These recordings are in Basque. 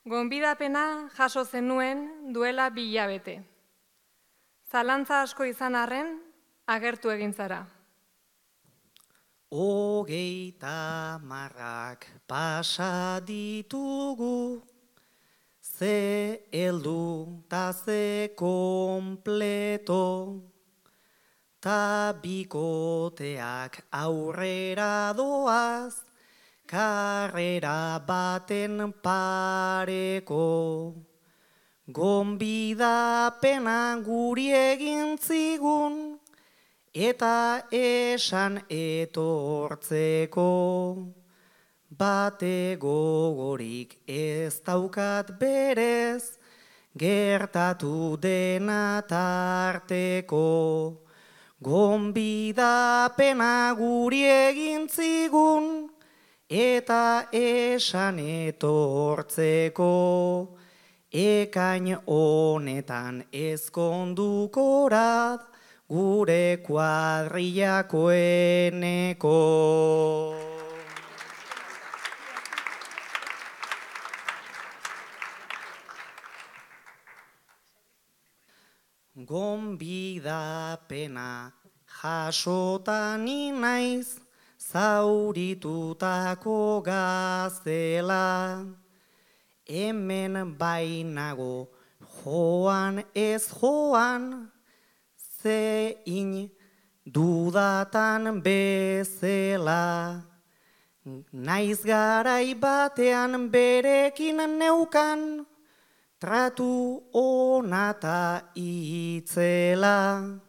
Gonbidapena jaso zenuen duela 2 hilabete. Zalantza asko izan arren, agertu egin zara. 30 marrak pasa ditugu, ze heldu ta ze kompleto, ta bikoteak aurrera doaz, karrera baten pareko. Gonbidapena guri egin zigun, eta esan etortzeko. Bate gogorik ez daukat berez, gertatu dena tarteko. Gonbidapena guri egin zigun, eta esan etortzeko. Ekain honetan ezkondukorat, gure kuadrillakoeneko. Gonbidapena jasotan naiz, zauritutako gazela. Hemen bainago joan ez joan, zein dudatan bezela. Naiz garai batean berekin neukan, tratu onata itzela.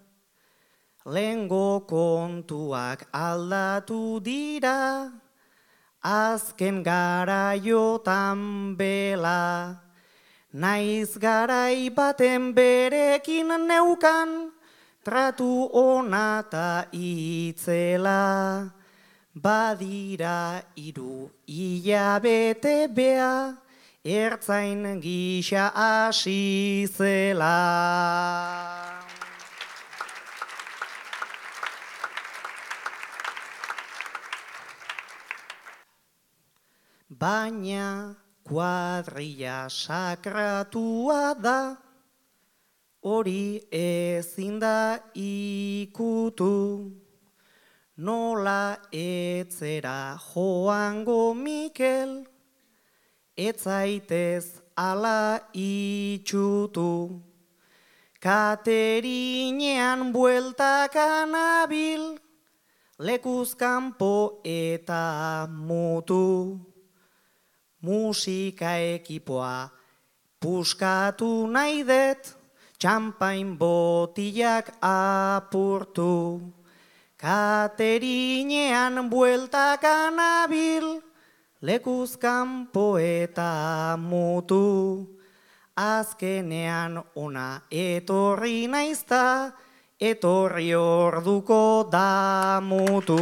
Lehengo kontuak aldatu dira, azken garaiotan bela. Naiz garai baten berekin neukan, tratu onata itzela. Badira 3 hilabete bea, ertzain gisa hasi zela. Baina kuadrilla sakratua da, hori ezin da ikutu. Nola etzera joango Mikel, etzaitez ala itxutu. Katerinean bueltaka nabil, lekuz kanpo eta mutu. Musika ekipoa puskatu nahi det, txampain botilak apurtu. Katerinean bueltaka nabil, lekuz kanpo eta mutu. Azkenean ona etorri naizta, etorri orduko damutu.